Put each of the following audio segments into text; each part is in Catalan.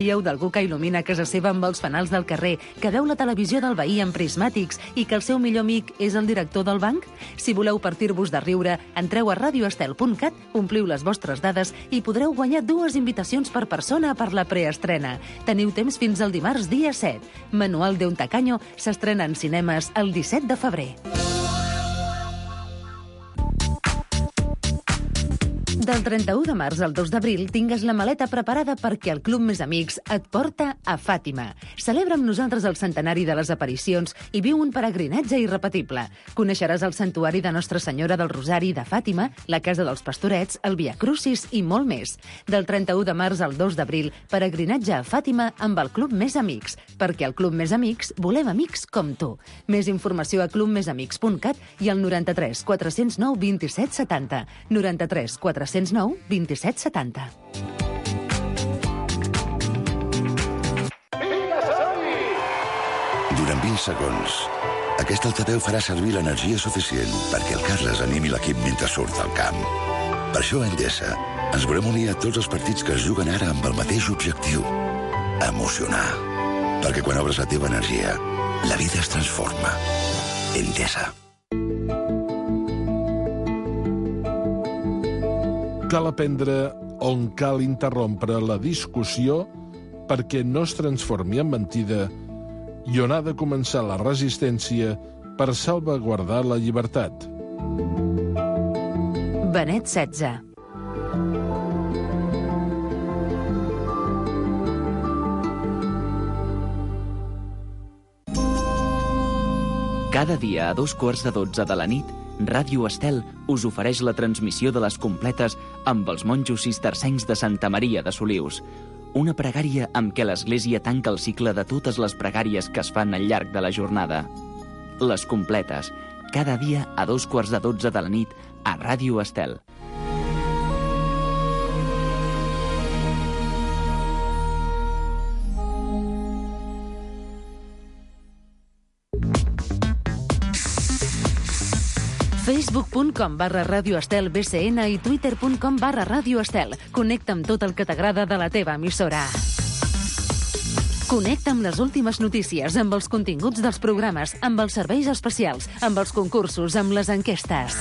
Dieu d'algú que il·lumina casa seva amb els fanals del carrer, que veu la televisió del veí amb prismàtics i que el seu millor amic és el director del banc? Si voleu partir-vos de riure, entreu a radioestel.cat, ompliu les vostres dades i podreu guanyar 2 invitacions per persona per la preestrena. Teniu temps fins al dimarts dia 7. Manual de un tacaño s'estrena en cinemes el 17 de febrer. Del 31 de març al 2 d'abril tingues la maleta preparada perquè el Club Més Amics et porta a Fàtima. Celebra amb nosaltres el centenari de les aparicions i viu un peregrinatge irrepetible. Coneixeràs el santuari de Nostra Senyora del Rosari de Fàtima, la Casa dels Pastorets, el Via Crucis i molt més. Del 31 de març al 2 d'abril, peregrinatge a Fàtima amb el Club Més Amics, perquè al Club Més Amics volem amics com tu. Més informació a clubmesamics.cat i al 93 409 27 70. 93 409 27 70. Durant 20 segons, aquest altaveu farà servir l'energia suficient perquè el Carles animi l'equip mentre surt al camp. Per això a Endesa ens volem unir a tots els partits que es juguen ara amb el mateix objectiu: emocionar. Perquè quan obres la teva energia, la vida es transforma. Endesa. Cal aprendre on cal interrompre la discussió perquè no es transformi en mentida i on ha de començar la resistència per salvaguardar la llibertat. Benet XVI. Cada dia a 12:45 de la nit, Ràdio Estel us ofereix la transmissió de les completes amb els monjos cistercencs de Santa Maria de Solius. Una pregària amb què l'Església tanca el cicle de totes les pregàries que es fan al llarg de la jornada. Les completes, cada dia a 12:45 de la nit a Ràdio Estel. Facebook.com/radioestelbcn i Twitter.com/radioestel. Connecta amb tot el que t'agrada de la teva emissora. Connecta amb les últimes notícies, amb els continguts dels programes, amb els serveis especials, amb els concursos, amb les enquestes.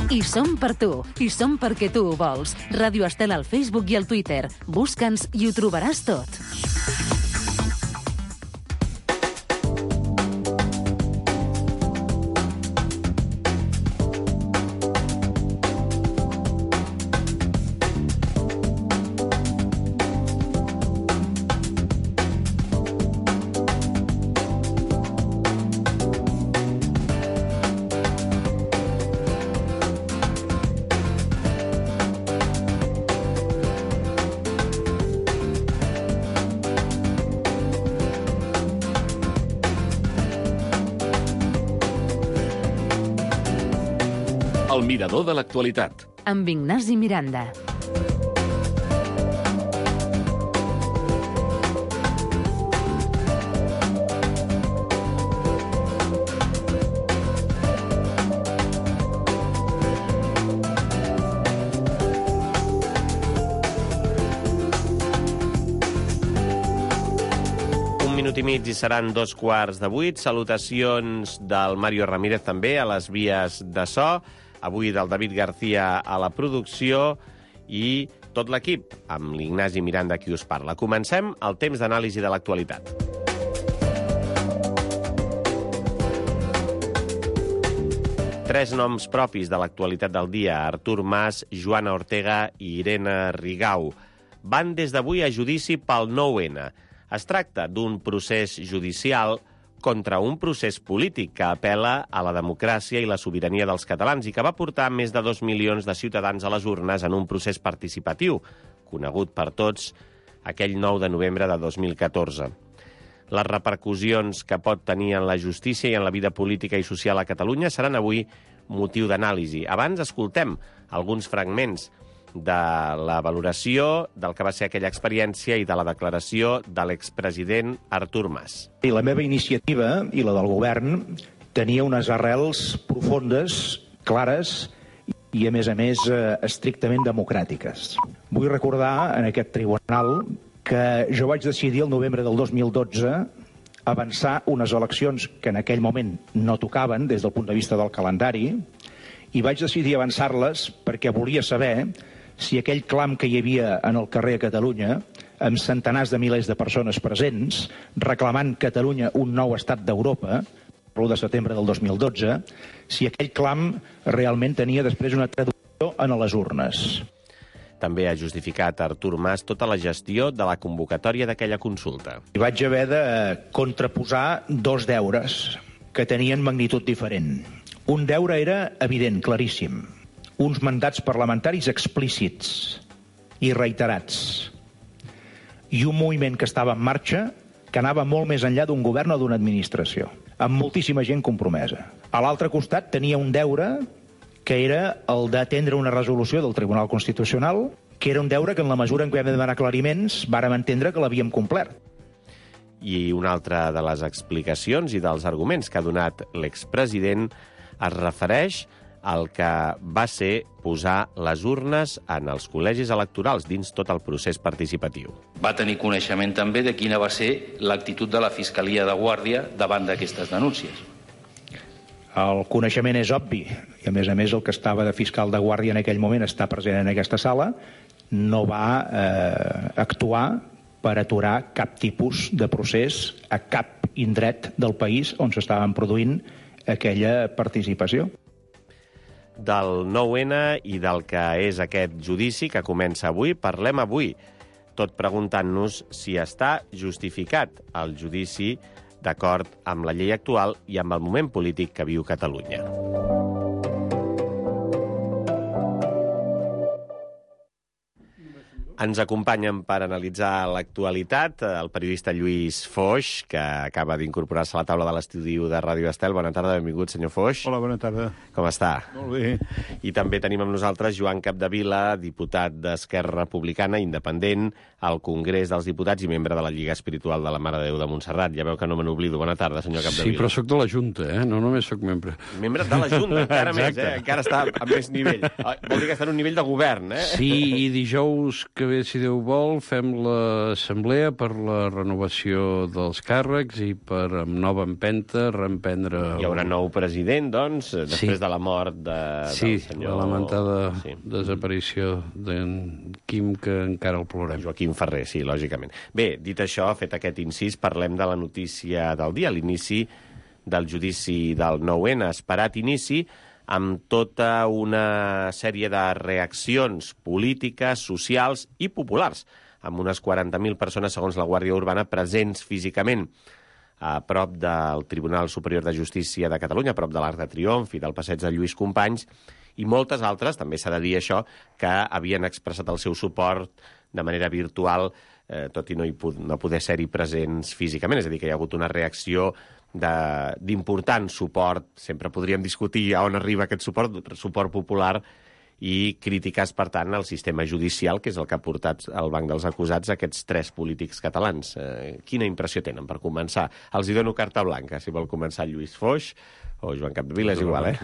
I som per tu, i som perquè tu ho vols. Ràdio Estel al Facebook i al Twitter. Busca'ns i ho trobaràs tot. El mirador de l'actualitat. Amb Ignasi Miranda. Un minut i mig i seran 7:15. Salutacions del Mario Ramírez també a les vies de so. Avui del David García a la producció i tot l'equip, amb l'Ignasi Miranda qui us parla. Comencem el temps d'anàlisi de l'actualitat. Tres noms propis de l'actualitat del dia: Artur Mas, Joana Ortega i Irene Rigau. Van des d'avui a judici pel 9-N. Es tracta d'un procés judicial contra un procés polític que apel·la a la democràcia i la sobirania dels catalans i que va portar més de 2 milions de ciutadans a les urnes en un procés participatiu, conegut per tots aquell 9 de novembre de 2014. Les repercussions que pot tenir en la justícia i en la vida política i social a Catalunya seran avui motiu d'anàlisi. Abans escoltem alguns fragments de la valoració del que va ser aquella experiència i de la declaració de l'expresident Artur Mas. I la meva iniciativa i la del govern tenia unes arrels profundes, clares i, a més, estrictament democràtiques. Vull recordar en aquest tribunal que jo vaig decidir el novembre del 2012 avançar unes eleccions que en aquell moment no tocaven des del punt de vista del calendari, i vaig decidir avançar-les perquè volia saber si aquell clam que hi havia en el carrer a Catalunya, amb centenars de milers de persones presents, reclamant Catalunya un nou estat d'Europa, l'1 de setembre del 2012, si aquell clam realment tenia després una traducció en les urnes. També ha justificat Artur Mas tota la gestió de la convocatòria d'aquella consulta. I vaig haver de contraposar dos deures que tenien magnitud diferent. Un deure era evident, claríssim. Uns mandats parlamentaris explícits i reiterats. I un moviment que estava en marxa que anava molt més enllà d'un govern o d'una administració, amb moltíssima gent compromesa. A l'altre costat tenia un deure que era el d'atendre una resolució del Tribunal Constitucional, que era un deure que en la mesura en què vam demanar aclariments vàrem entendre que l'havíem complert. I una altra de les explicacions i dels arguments que ha donat l'expresident es refereix al que va ser posar les urnes en els col·legis electorals dins tot el procés participatiu. Va tenir coneixement també de quina va ser l'actitud de la Fiscalia de Guàrdia davant d'aquestes denúncies. El coneixement és obvi, i a més el que estava de fiscal de guàrdia en aquell moment està present en aquesta sala, no va actuar per aturar cap tipus de procés a cap indret del país on s'estaven produint aquella participació. Del 9-N i del que és aquest judici que comença avui, parlem avui, tot preguntant-nos si està justificat el judici d'acord amb la llei actual i amb el moment polític que viu Catalunya. Ens acompanyen per analitzar l'actualitat el periodista Lluís Foix, que acaba d'incorporar-se a la taula de l'estudi de Ràdio Estel. Bona tarda, benvingut, senyor Foix. Hola, bona tarda. Com està? Molt bé. I també tenim amb nosaltres Joan Capdevila, diputat d'Esquerra Republicana, independent, al Congrés dels Diputats i membre de la Lliga Espiritual de la Mare de Déu de Montserrat. Ja veu que no me n'oblido. Bona tarda, senyor Capdevila. Sí, però sóc de la Junta, no només sóc membre. Membre de la Junta, encara més, encara està a més nivell. Vol dir que està en un nivell de govern, Sí, i dijous que ve, si Déu vol, fem l'assemblea per la renovació dels càrrecs i per, amb nova empenta, reemprendre... Hi haurà nou president, doncs, després de la mort del senyor... Sí, la lamentada desaparició d'en Quim, que encara el plorem. Joaquim Ferrer, sí, lògicament. Bé, dit això, fet aquest incís, parlem de la notícia del dia, l'inici del judici del 9-N, esperat inici, amb tota una sèrie de reaccions polítiques, socials i populars, amb unes 40.000 persones, segons la Guàrdia Urbana, presents físicament a prop del Tribunal Superior de Justícia de Catalunya, a prop de l'Arc de Triomf i del passeig de Lluís Companys, i moltes altres, també s'ha de dir això, que havien expressat el seu suport de manera virtual, tot i no poder ser-hi presents físicament. És a dir, que hi ha hagut una reacció d'important suport. Sempre podríem discutir a on arriba aquest suport popular, i crítiques, per tant, al sistema judicial, que és el que ha portat al banc dels acusats aquests tres polítics catalans. Quina impressió tenen, per començar? Els hi dono carta blanca, si vol començar Lluís Foix o Joan Capdevila, és igual,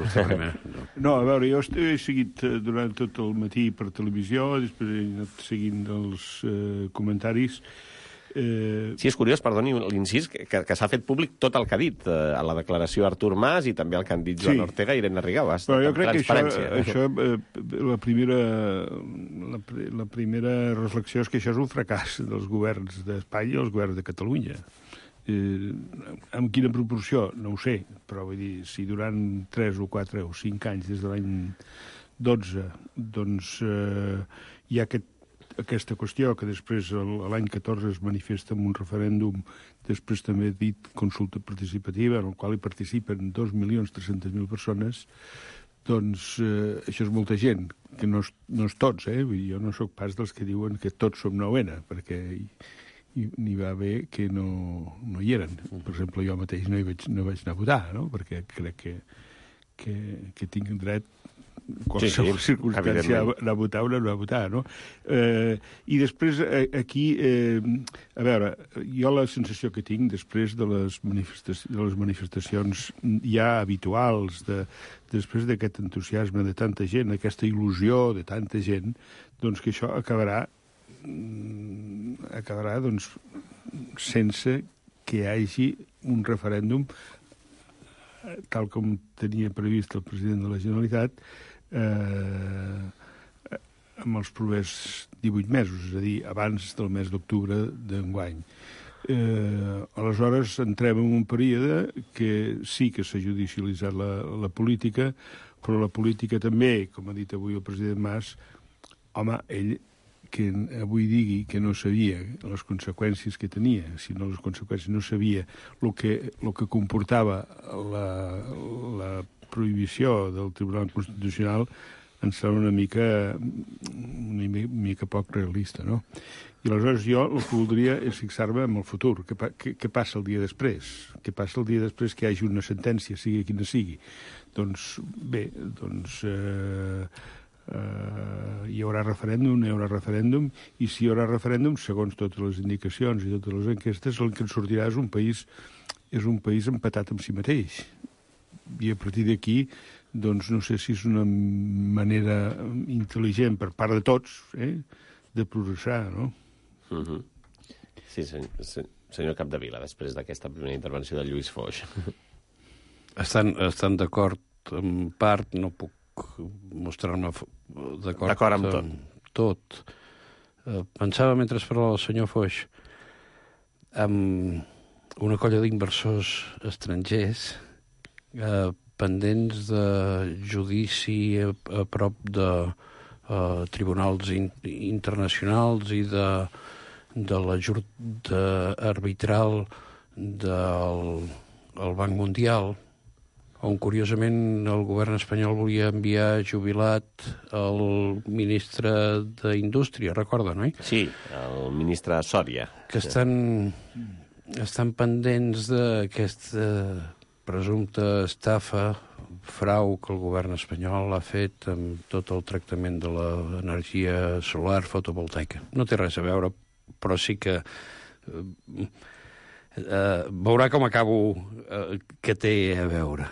No, a veure, jo he seguit durant tot el matí per televisió, després he anat seguint els comentaris. Sí, és curiós, perdoni l'incís, que s'ha fet públic tot el que ha dit a la declaració Artur Mas i també el que han dit Joan Ortega i Irene Rigau. Però jo crec que això la primera reflexió és que això és un fracàs dels governs d'Espanya i els governs de Catalunya. Amb quina proporció? No ho sé, però vull dir, si durant 3 o 4 o 5 anys, des de l'any 12, doncs hi ha aquesta qüestió que després l'any 14 es manifesta en un referèndum, després també dit consulta participativa, en el qual hi participen 2.300.000 persones, doncs això és molta gent, que no és tots, jo no sóc pas dels que diuen que tots som 9-N, perquè n'hi va haver que no hi eren. Per exemple, jo mateix no vaig anar a votar, no? Perquè crec que tinc dret qualsevol circumstància anar a votar o no anar a votar, no? I després aquí, a veure, jo la sensació que tinc després de les manifestacions ja habituals, després d'aquest entusiasme de tanta gent, aquesta il·lusió de tanta gent, doncs que això acabarà acabarà doncs, sense que hi hagi un referèndum tal com tenia previst el president de la Generalitat amb els propers 18 mesos, és a dir, abans del mes d'octubre d'enguany. Aleshores entrem en un període que sí que s'ha judicialitzat la política, però la política també, com ha dit avui el president Mas, home, ell que avui digui que no sabia les conseqüències que tenia, sinó les conseqüències, no sabia el que comportava la prohibició del Tribunal Constitucional, em sembla una mica poc realista, no? I aleshores jo el que voldria és fixar-me en el futur. Què passa el dia després? Què passa el dia després que hi hagi una sentència, sigui quina sigui? Doncs bé, hi haurà referèndum, i si hi haurà referèndum, segons totes les indicacions i totes les enquestes, el que ens sortirà és un país empatat amb si mateix. I a partir d'aquí, doncs no sé si és una manera intel·ligent per part de tots de progressar, no? Sí, senyor Capdevila, després d'aquesta primera intervenció de Lluís Foix. Estan d'acord en part, no puc mostrar-me d'acord amb tot. Pensava, mentre parlava el senyor Foix, amb una colla d'inversors estrangers pendents de judici a prop de tribunals internacionals i de l'ajut arbitral del Banc Mundial, on, curiosament, el govern espanyol volia enviar jubilat el ministre d'Indústria, recorda, no? Sí, el ministre Sòria. Que estan pendents d'aquesta presumpta estafa, frau que el govern espanyol ha fet amb tot el tractament de l'energia solar fotovoltaica. No té res a veure, però sí que veurà com acabo que té a veure.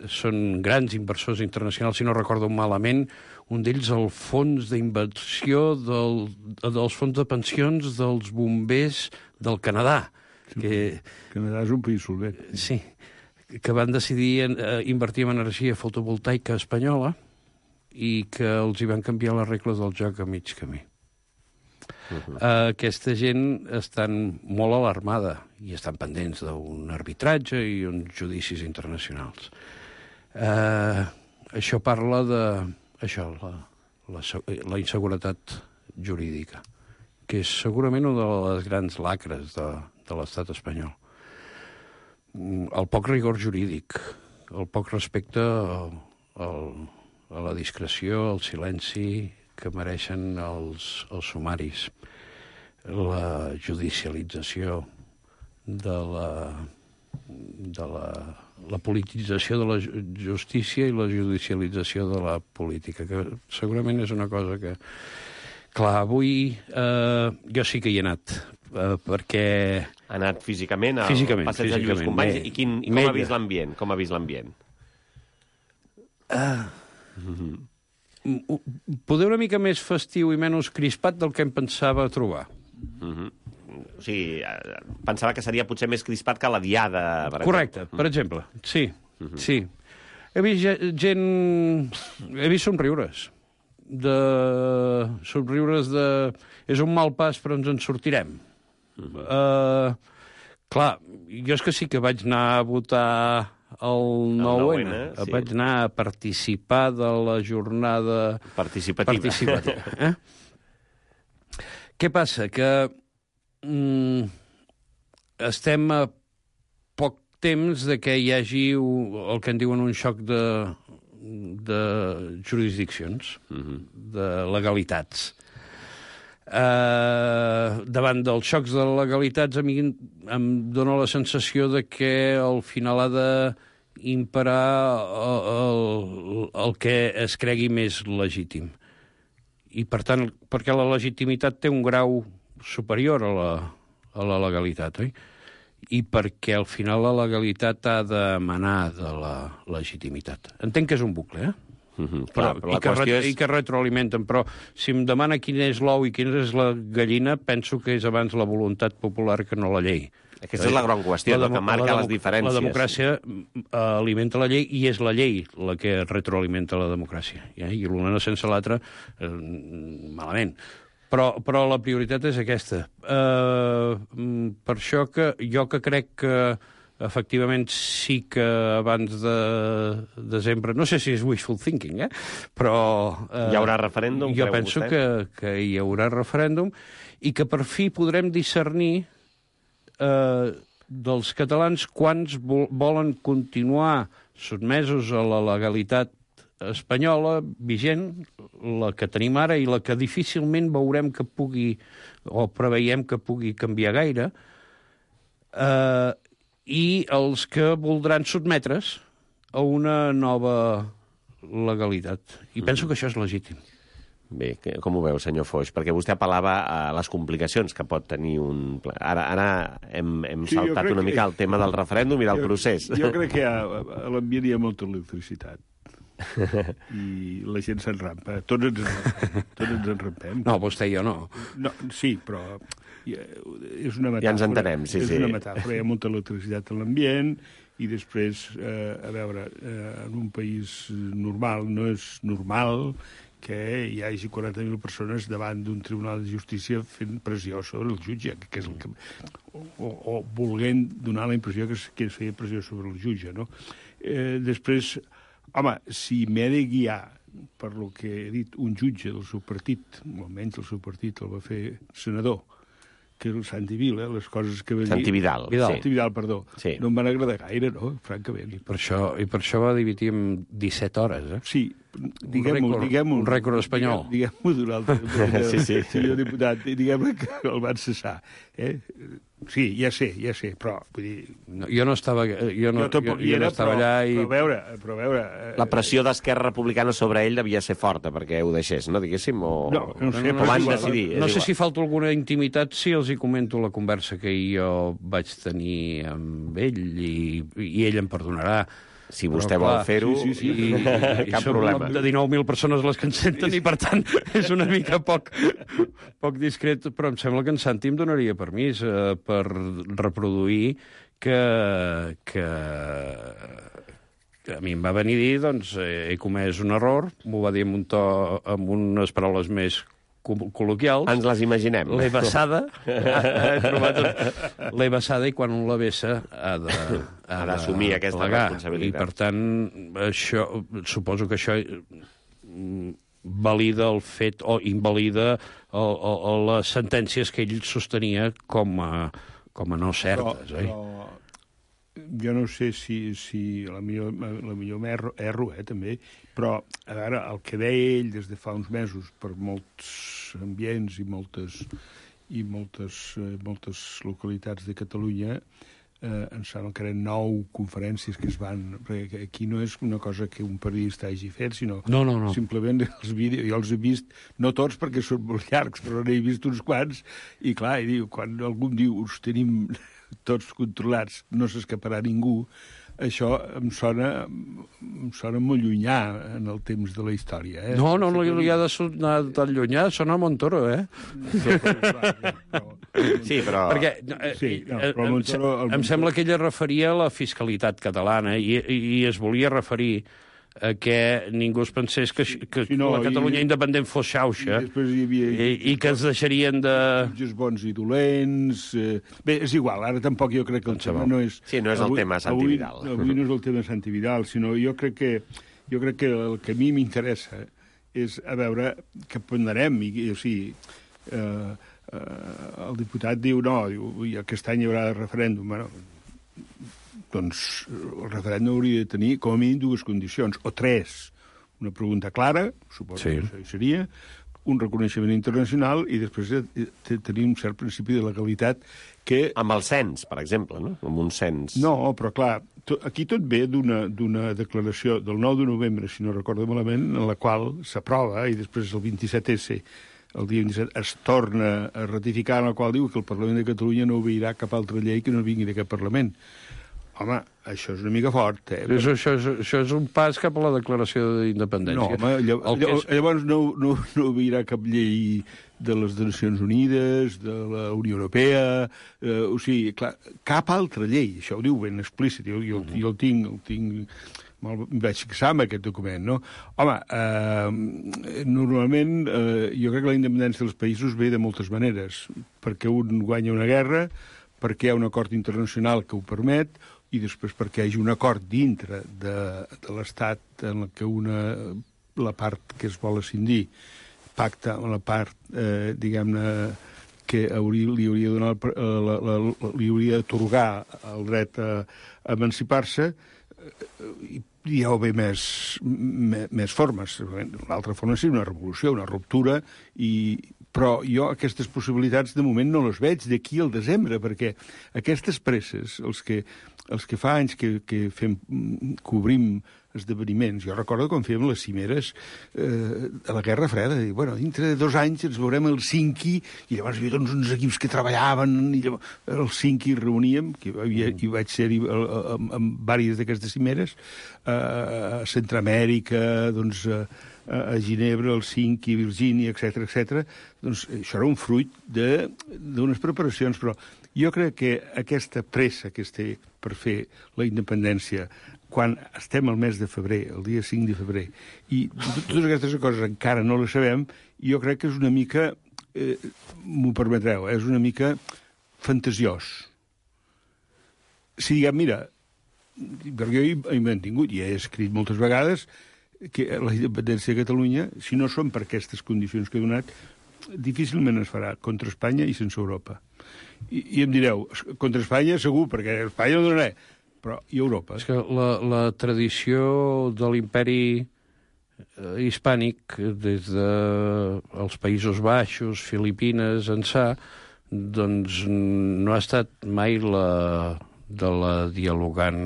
Són grans inversors internacionals, si no recordo malament, un d'ells el fons d'inversió dels fons de pensions dels bombers del Canadà. Canadà és un país solvent. Sí, que van decidir invertir en energia fotovoltaica espanyola i que els hi van canviar les regles del joc a mig camí. Aquesta gent estan molt alarmada i estan pendents d'un arbitratge i uns judicis internacionals. Això parla de la inseguretat jurídica, que és segurament una de les grans lacres de l'estat espanyol. El poc rigor jurídic, el poc respecte a la discreció, al silenci que mereixen els sumaris, la judicialització de la politització de la justícia i la judicialització de la política, que segurament és una cosa que... Clar, avui jo sí que hi he anat, perquè... Ha anat físicament al passeig de Lluís Companys? I com ha vist l'ambient? Poder una mica més festiu i menys crispat del que em pensava trobar. O sigui, pensava que seria potser més crispat que la Diada. Correcte, per exemple. Sí, sí. He vist gent... He vist somriures. És un mal pas, però ens en sortirem. Clar, jo és que sí que vaig anar a votar el 9N. Sí. Vaig anar a participar de la jornada participativa. Què passa? Que estem a poc temps de que hi hagi el que en diuen un xoc de jurisdiccions, de legalitats. Davant dels xocs de legalitats, a mi em dóna la sensació de que al final ha d'imperar el que es cregui més legítim. I, per tant, perquè la legitimitat té un grau superior a la legalitat, oi? I perquè al final la legalitat ha d'emanar de la legitimitat. Entenc que és un bucle, I que retroalimenten. Però si em demana quin és l'ou i quina és la gallina, penso que és abans la voluntat popular que no la llei. Aquesta és la gran qüestió, que marca les diferències. La democràcia alimenta la llei i és la llei la que retroalimenta la democràcia. I l'una sense l'altra, malament. Però la prioritat és aquesta. Per això que jo crec que efectivament sí que abans de desembre, no sé si és wishful thinking, però... Hi haurà referèndum? Jo penso que hi haurà referèndum i que per fi podrem discernir dels catalans quants volen continuar sotmesos a la legalitat espanyola vigent, la que tenim ara i la que difícilment veurem que pugui, o preveiem que pugui canviar gaire, i els que voldran sotmetre's a una nova legalitat. I penso que això és legítim. Bé, com ho veu, senyor Foix? Perquè vostè apel·lava a les complicacions que pot tenir un... Ara hem saltat una mica el tema del referèndum i del procés. Jo crec que a l'ambient hi ha molta electricitat. I la gent s'enrampa. Tots ens enrampem. No, vostè i jo no. Sí, però és una metàfora. Ja ens entenem, sí. És una metàfora. Hi ha molta electricitat en l'ambient i després, a veure, en un país normal no és normal que hi hagi 40.000 persones davant d'un tribunal de justícia fent pressió sobre el jutge, que és el que... o volent donar la impressió que es feia pressió sobre el jutge, no? Després, home, si m'he de guiar per lo que he dit un jutge del seu partit, o almenys el seu partit el va fer senador, que és el Santi Vila, les coses que va dir... Santi Vidal. Santi Vidal, perdó. Sí. No em van agradar gaire, no?, francament. I per això va dividir en 17 hores, Sí, diguem-ho... Un rècord espanyol. Diguem-ho d'un altre... Sí. Senyor diputat, diguem-ne que el van cessar. Sí, ja sé, però vull dir... Jo no estava allà i... Però a veure... La pressió d'Esquerra Republicana sobre ell devia ser forta perquè ho deixés, no, diguéssim? No sé, però van decidir. No sé si falta alguna intimitat, si els hi comento la conversa que jo vaig tenir amb ell i ell em perdonarà. Si vostè vol fer-ho, cap problema. De 19.000 persones les que ens senten i, per tant, és una mica poc discret, però em sembla que en Santi em donaria permís per reproduir que a mi em va venir a dir, doncs, he comès un error, m'ho va dir amb un to, amb unes paraules més col·loquials. Ens les imaginem. L'he vessada, l'he vessada i quan un la vessa ha d'assumir aquesta responsabilitat. I, per tant, això, suposo que això valida el fet o invalida les sentències que ell sostenia com a no certes. Però jo no sé si la millor erro, també, però, a veure, el que deia ell des de fa uns mesos per molts ambients i moltes localitats de Catalunya, em sembla que eren 9 conferències que es van... Perquè aquí no és una cosa que un periodista hagi fet, sinó simplement els vídeos. Jo els he vist, no tots perquè són molt llargs, però n'he vist uns quants, i clar, quan algú em diu us tenim tots controlats, no s'escaparà ningú, això em sona molt llunyà en el temps de la història. No li ha de sonar tan llunyà, sona Montoro, Sí, però... Perquè em sembla que ella referia a la fiscalitat catalana i es volia referir a que ningú es pensés que la Catalunya independent fos xauxa i que es deixarien de... Jutges bons i dolents... Bé, és igual, ara tampoc jo crec que el tema no és... Sí, no és el tema Santi Vidal. Avui no és el tema Santi Vidal, sinó jo crec que el que a mi m'interessa és a veure què ponderem. O sigui, el diputat diu aquest any hi haurà referèndum. Bueno, doncs el referèndum hauria de tenir com a mínim 2 condicions, o 3. Una pregunta clara, suposo que això seria, un reconeixement internacional i després tenir un cert principi de legalitat que... Amb el cens, per exemple, no? Amb un cens. No, però clar, aquí tot ve d'una declaració del 9 de novembre, si no recordo malament, en la qual s'aprova i després el 27S, el dia 27, es torna a ratificar, en la qual diu que el Parlament de Catalunya no obeirà cap altra llei que no vingui d'aquest Parlament. Home, això és una mica fort, eh? Això és un pas cap a la declaració d'independència. No, home, llavors no hi haurà cap llei de les Nacions Unides, de la Unió Europea, o sigui, clar, cap altra llei, això ho diu ben explícit, jo el tinc em vaig fixar en aquest document, no? Home, normalment jo crec que la independència dels països ve de moltes maneres, perquè un guanya una guerra, perquè hi ha un acord internacional que ho permet, i després perquè hi hagi un acord dintre de l'Estat en què la part que es vol escindir pacta amb la part, diguem-ne, que li hauria d'atorgar el dret a emancipar-se, hi ha d'haver més formes. L'altra forma és una revolució, una ruptura, però jo aquestes possibilitats de moment no les veig d'aquí al desembre, perquè aquestes presses, els que fa anys que cobrim esdeveniments. Jo recordo quan fèiem les cimeres a la Guerra Freda, i bueno, dintre de 2 anys ens veurem el Cinqui, i llavors hi havia uns equips que treballaven, i llavors el Cinqui reuníem, que hi vaig ser-hi en diverses d'aquestes cimeres, a Centroamèrica, doncs a Ginebra, el Cinqui, Virgínia, etc. Doncs això era un fruit d'unes preparacions, però jo crec que aquesta pressa que es té per fer la independència quan estem al mes de febrer, el dia 5 de febrer, i totes aquestes coses encara no les sabem, jo crec que és una mica, m'ho permetreu, és una mica fantasiós. Si diguem, mira, perquè jo he mantingut i he escrit moltes vegades que la independència de Catalunya, si no són per aquestes condicions que he donat, difícilment es farà contra Espanya i sense Europa. I em direu, contra Espanya segur, perquè Espanya no donarà, però i Europa? És que la tradició de l'imperi hispànic, des dels Països Baixos, Filipines, ençà, doncs no ha estat mai de la dialogant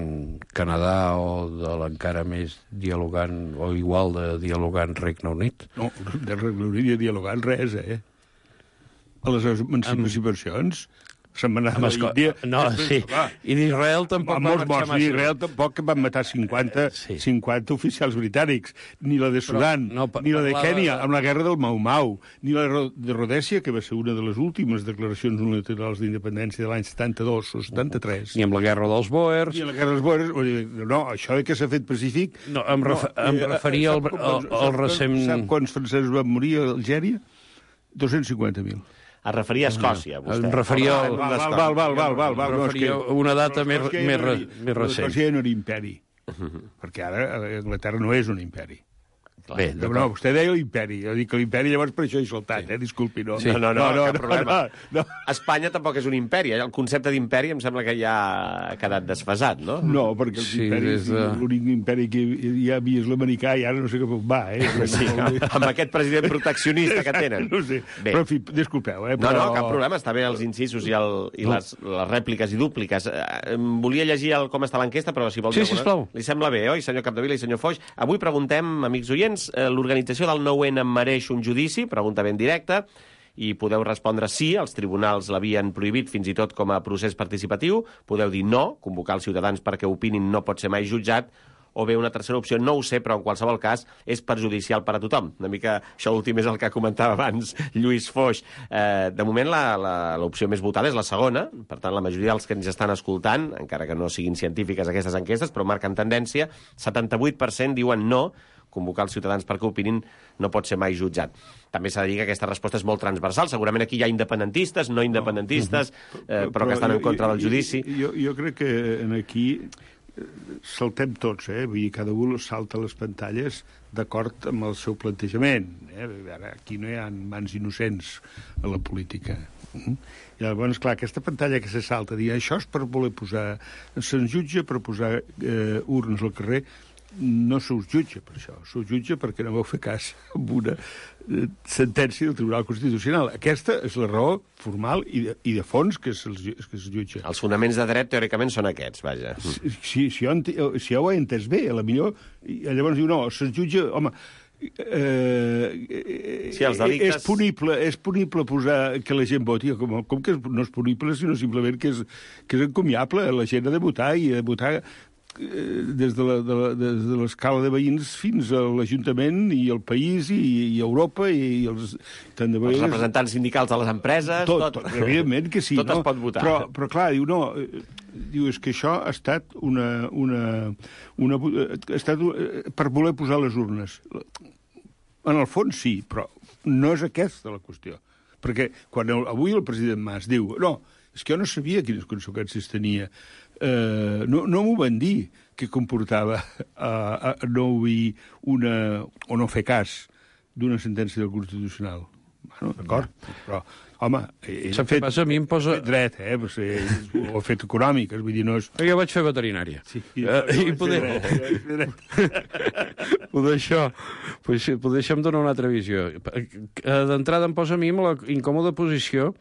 Canadà o de l'encara més dialogant, o igual de dialogant Regne Unit. No, de Regne Unit i dialogant res, A les emancipacions se'n va anar a l'Índia. No, sí. I d'Israel tampoc va marxar massa. D'Israel tampoc van matar 50 oficials britànics. Ni la de Sudan, ni la de Kènia, amb la guerra del Mau-Mau, ni la de Rodèsia, que va ser una de les últimes declaracions unilaterals d'independència de l'any 72 o 73. Ni amb la guerra dels Bòers. Ni amb la guerra dels Bòers. No, això que s'ha fet pacífic... No, em referia al recent... Sap quants francesos van morir a Algèria? 250.000. Es referia a Escòcia, vostè. Em referia a una data més recent. Escòcia no era imperi, perquè ara Anglaterra no és un imperi. Bé, no, vostè deia l'imperi. Jo dic que l'imperi llavors per això he saltat, disculpi. No, sí. no, cap problema. No. Espanya tampoc és un imperi. El concepte d'imperi em sembla que ja ha quedat desfasat, no? No, perquè l'únic imperi que hi havia és l'americà i ara no sé cap on va, Sí, amb aquest president proteccionista que tenen. No sé, però en fi, disculpeu. No, cap problema, està bé els incisos i les rèpliques i dúpliques. Volia llegir com està l'enquesta, però si vol... Sí, sisplau. Li sembla bé, oi, senyor Capdevila i senyor Foix? Avui preguntem, amics oients, l'organització del 9-N mereix un judici? Pregunta ben directa. I podeu respondre sí, els tribunals l'havien prohibit fins i tot com a procés participatiu. Podeu dir no, convocar els ciutadans perquè opinin no pot ser mai jutjat. O bé una tercera opció, no ho sé, però en qualsevol cas és perjudicial per a tothom. Una mica això últim és el que comentava abans Lluís Foix. De moment l'opció més votada és la segona, per tant la majoria dels que ens estan escoltant, encara que no siguin científiques aquestes enquestes, però marquen tendència, 78% diuen no, convocar els ciutadans perquè opinin no pot ser mai jutjat. També s'ha de dir que aquesta resposta és molt transversal. Segurament aquí hi ha independentistes, no independentistes, però que estan en contra del judici. Jo crec que aquí saltem tots, vull dir, cada un salta les pantalles d'acord amb el seu plantejament. Ara, aquí no hi ha mans innocents a la política. I llavors, clar, aquesta pantalla que se salta, dir això és per voler posar... Se'ns jutja per posar urnes al carrer. No se us jutja per això, se us jutja perquè no vau fer cas amb una sentència del Tribunal Constitucional. Aquesta és la raó formal i de fons que es jutja. Els fonaments de dret, teòricament, són aquests, vaja. Si jo ho he entès bé, a la millor... Llavors diu, no, se'ns jutja... Home, els delictes... És punible posar que la gent voti, com que no és punible, sinó simplement que és encomiable. La gent ha de votar, i ha de votar des de l'escala de veïns fins a l'Ajuntament i el país i Europa i els representants sindicals de les empreses... Tot, evidentment que sí. Tot es pot votar. Però clar, diu, és que això ha estat per voler posar les urnes. En el fons sí, però no és aquesta la qüestió. Perquè quan avui el president Mas diu no, és que jo no sabia quines conseqüències tenia, no m'ho van dir, que comportava no obeir o no fer cas d'una sentència del Constitucional. Bueno, d'acord, però, home... Sap què passa? A mi em posa... Dret, ho ha fet econòmic, vull dir, no és... Jo vaig fer veterinària. Sí, i poder això em dona una altra visió. D'entrada em posa a mi en la incòmoda posició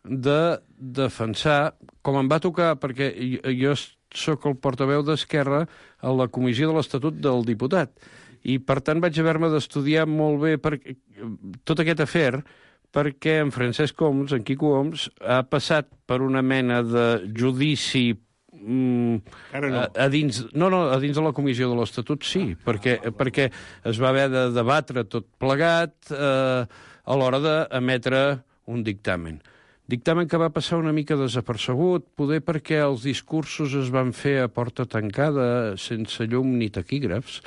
de defensar, com em va tocar, perquè jo sóc el portaveu d'Esquerra a la comissió de l'Estatut del Diputat, i per tant vaig haver-me d'estudiar molt bé tot aquest afer, perquè en Francesc Homs, en Quico Homs, ha passat per una mena de judici a dins de la comissió de l'Estatut, sí, perquè es va haver de debatre tot plegat a l'hora d'emetre un dictamen. Dictamen que va passar una mica desapercebut, poder perquè els discursos es van fer a porta tancada, sense llum ni taquígrafs,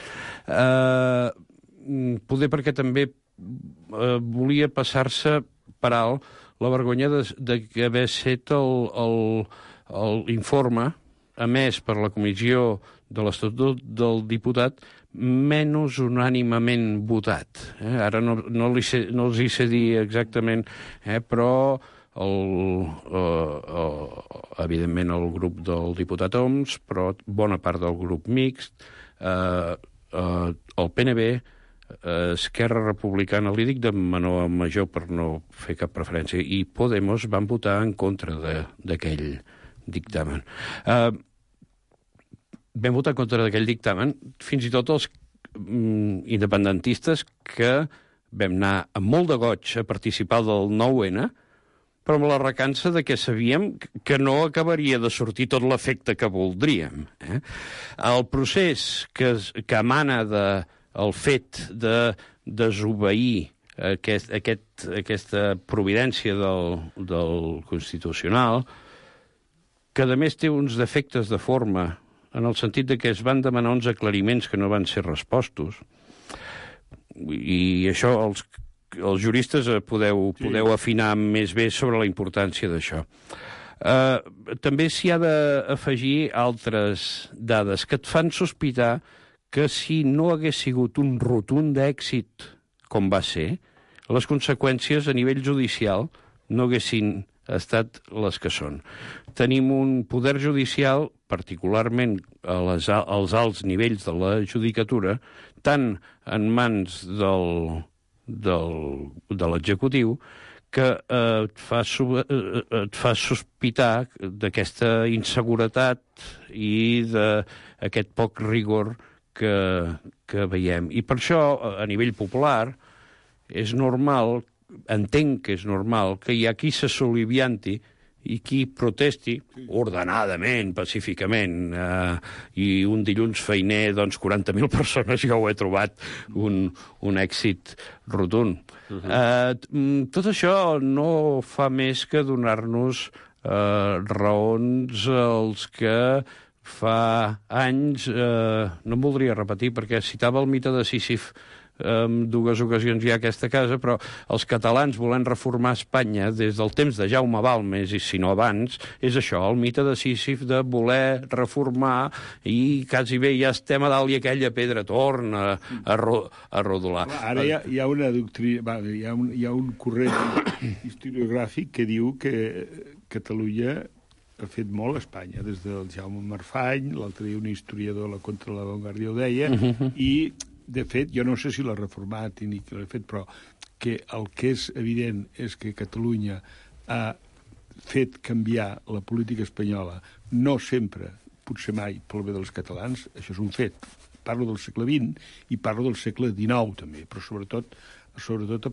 poder perquè també volia passar-se per alt la vergonya d'haver set l'informe emès per la comissió de l'Estatut del Diputat menys unànimament votat. Ara no els hi sé dir exactament, però evidentment el grup del diputat Homs, però bona part del grup mixt, el PNB, Esquerra Republicana, li dic de menor a major per no fer cap preferència, i Podemos van votar en contra d'aquell dictamen. Vam votar en contra d'aquell dictamen, fins i tot els independentistes que vam anar amb molt de goig a participar del 9-N, però amb la recança de que sabíem que no acabaria de sortir tot l'efecte que voldríem. El procés que emana del fet de desobeir aquesta providència del Constitucional, que a més té uns defectes de forma, en el sentit de que es van demanar uns aclariments que no van ser respostos, i això els juristes podeu afinar més bé sobre la importància d'això. També s'hi ha d'afegir altres dades que et fan sospitar que si no hagués sigut un rotund èxit com va ser, les conseqüències a nivell judicial no haguessin estat les que són. Tenim un poder judicial, particularment als alts nivells de la judicatura, tant en mans de l'executiu, que et fa sospitar d'aquesta inseguretat i d'aquest poc rigor que veiem. I per això, a nivell popular, és normal, entenc que és normal, que hi ha qui se solivianti i qui protesti ordenadament, pacíficament, i un dilluns feiner, doncs 40.000 persones, jo ho he trobat un èxit rotund. Tot això no fa més que donar-nos raons als que fa anys, no em voldria repetir perquè citava el mite de Sísif en dues ocasions ja a aquesta casa, però els catalans volent reformar Espanya des del temps de Jaume Balmes, i si no abans, és això, el mite de Sísif de voler reformar i quasi bé ja estem a dalt i aquella pedra torna a rodolar. Ara hi ha una doctrina, hi ha un corrent historiogràfic que diu que Catalunya ha fet molt a Espanya, des del Jaume Marfany, l'altre dia un historiador la contra la Vanguardia ho deia, i de fet, jo no sé si l'ha reformat ni qui l'ha fet, però que el que és evident és que Catalunya ha fet canviar la política espanyola, no sempre, potser mai, pel bé dels catalans, això és un fet, parlo del segle XX i parlo del segle XIX, també, però sobretot a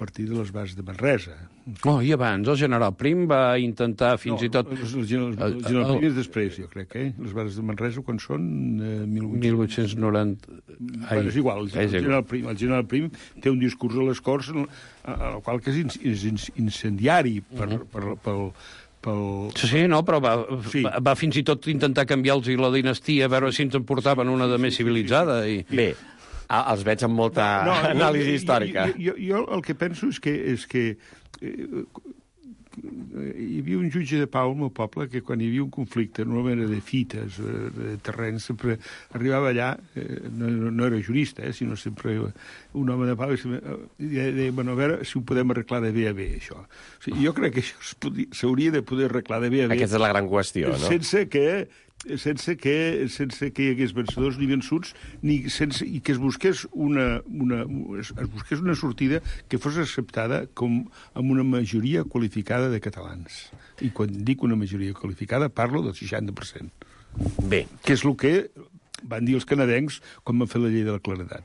partir de les bases de Manresa. I abans el general Prim va intentar fins i tot... El general Prim és després, jo crec, Les bases de Manresa, quan són? 1890... És igual, el general Prim té un discurs a les Corts, el qual que és incendiari pel... Sí, però va fins i tot intentar canviar-los la dinastia, a veure si ens en portaven una de més civilitzada. Bé, els veig amb molta anàlisi històrica. Jo el que penso és que hi havia un jutge de pau al meu poble que quan hi havia un conflicte, normalment era de fites, de terrenys, sempre arribava allà, no era jurista, sinó sempre un home de pau, i deia, a veure si ho podem arreglar de bé a bé, això. O sigui, jo crec que això s'hauria de poder arreglar de bé a bé. Aquesta és la gran qüestió, no? Sense que hi hagués vencedors ni vençuts, i que es busqués una sortida que fos acceptada amb una majoria qualificada de catalans. I quan dic una majoria qualificada parlo del 60%. Bé. Que és el que van dir els canadencs quan van fer la llei de la claredat.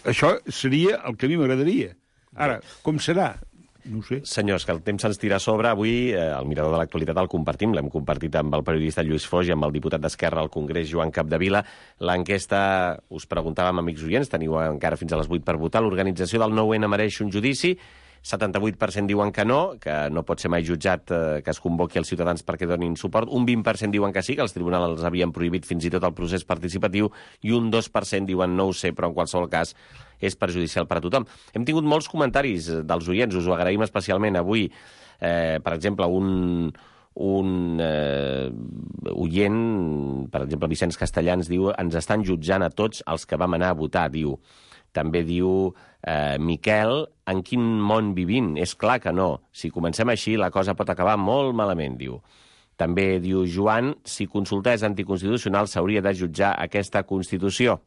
Això seria el que a mi m'agradaria. Ara, com serà? No ho sé. Senyors, que el temps se'ns tira a sobre. Avui el Mirador de l'Actualitat el compartim. L'hem compartit amb el periodista Lluís Foix i amb el diputat d'Esquerra al Congrés, Joan Capdevila. L'enquesta, us preguntàvem, amics oients, teniu encara fins a les 8 per votar. L'organització del 9-N mereix un judici. 78% diuen que no pot ser mai jutjat que es convoqui els ciutadans perquè donin suport. Un 20% diuen que sí, que els tribunals els havien prohibit fins i tot el procés participatiu, i un 2% diuen no ho sé, però en qualsol cas és perjudicial per a tothom. Hem tingut molts comentaris dels oients, us ho agraïm especialment avui. Per exemple, un oient, per exemple, Vicenç Castellans, diu: ens estan jutjant a tots els que vam anar a votar, diu. També diu Miquel: en quin món vivim? És clar que no. Si comencem així, la cosa pot acabar molt malament, diu. També diu Joan: si consultar és anticonstitucional, s'hauria de jutjar aquesta Constitució.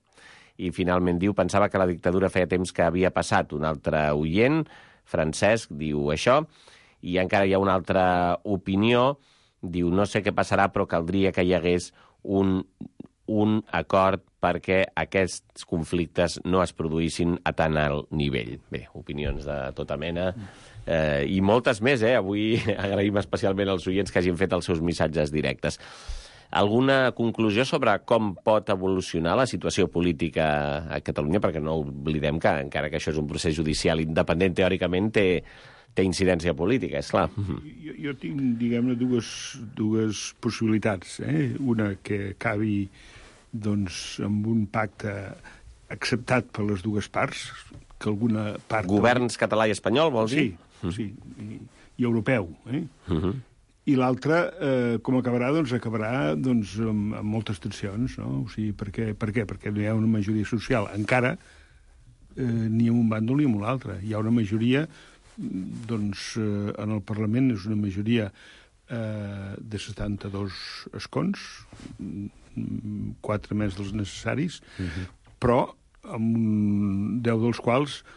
I finalment diu: pensava que la dictadura feia temps que havia passat. Un altre oient, Francesc, diu això. I encara hi ha una altra opinió. Diu: no sé què passarà, però caldria que hi hagués un acord perquè aquests conflictes no es produïssin a tan alt nivell. Bé, opinions de tota mena i moltes més, Avui agraïm especialment als oients que hagin fet els seus missatges directes. Alguna conclusió sobre com pot evolucionar la situació política a Catalunya? Perquè no oblidem que, encara que això és un procés judicial independent, teòricament té incidència política, és clar. Jo tinc, diguem-ne, dues possibilitats. Una que acabi amb un pacte acceptat per les dues parts, que alguna part... Governs català i espanyol, vols dir? Sí, i europeu. I l'altra, com acabarà? Acabarà amb moltes tensions, no? O sigui, per què? Perquè no hi ha una majoria social. Encara, ni en un bàndol ni en l'altre. Hi ha una majoria, en el Parlament és una majoria de 72 escons, 4 més dels necessaris, però amb 10 dels quals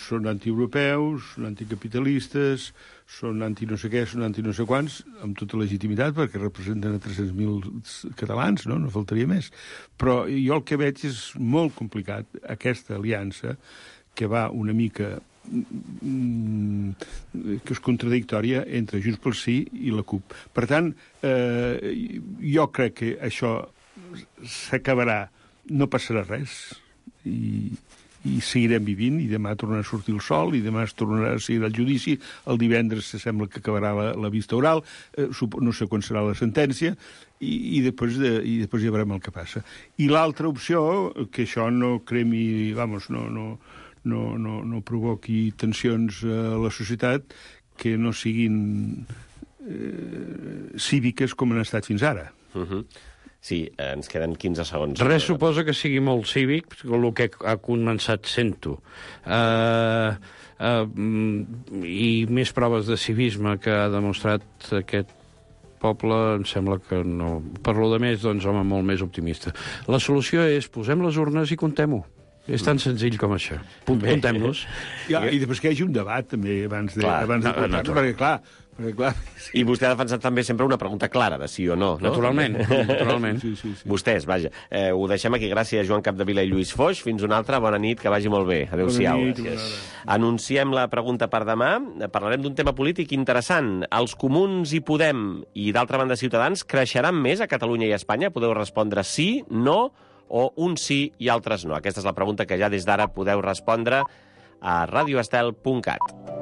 són antieuropeus, són anticapitalistes, són anti-no sé què, són anti-no sé quants, amb tota legitimitat, perquè representen a 300.000 catalans, no faltaria més. Però jo el que veig és molt complicat, aquesta aliança, que va una mica que és contradictòria entre Junts pel Sí i la CUP. Per tant, jo crec que això s'acabarà, no passarà res, i seguirem vivint, i demà tornarà a sortir el sol, i demà es tornarà a seguir el judici, el divendres se sembla que acabarà la vista oral, no sé quan serà la sentència, i després ja veurem el que passa. I l'altra opció, que això no cremi, no provoqui tensions a la societat que no siguin cíviques com han estat fins ara. Sí, ens queden 15 segons. Res suposa que sigui molt cívic, el que ha començat sent-ho. I més proves de civisme que ha demostrat aquest poble, em sembla que no. Per lo de més, home, molt més optimista. La solució és posem les urnes i contem-ho. És tan senzill com això. Puntem-nos. I després que hi hagi un debat, també, abans de votar-nos, perquè, clar... I vostè ha defensat també sempre una pregunta clara de sí o no, no? Naturalment. Sí. Vostès, vaja. Ho deixem aquí. Gràcies, Joan Capdevila i Lluís Foix. Fins una altra. Bona nit, que vagi molt bé. Adéu-siau. Anunciem la pregunta per demà. Parlarem d'un tema polític interessant. Els comuns i Podem i, d'altra banda, Ciutadans creixeran més a Catalunya i a Espanya? Podeu respondre sí, no, o un sí i altres no. Aquesta és la pregunta que ja des d'ara podeu respondre a radioestel.cat.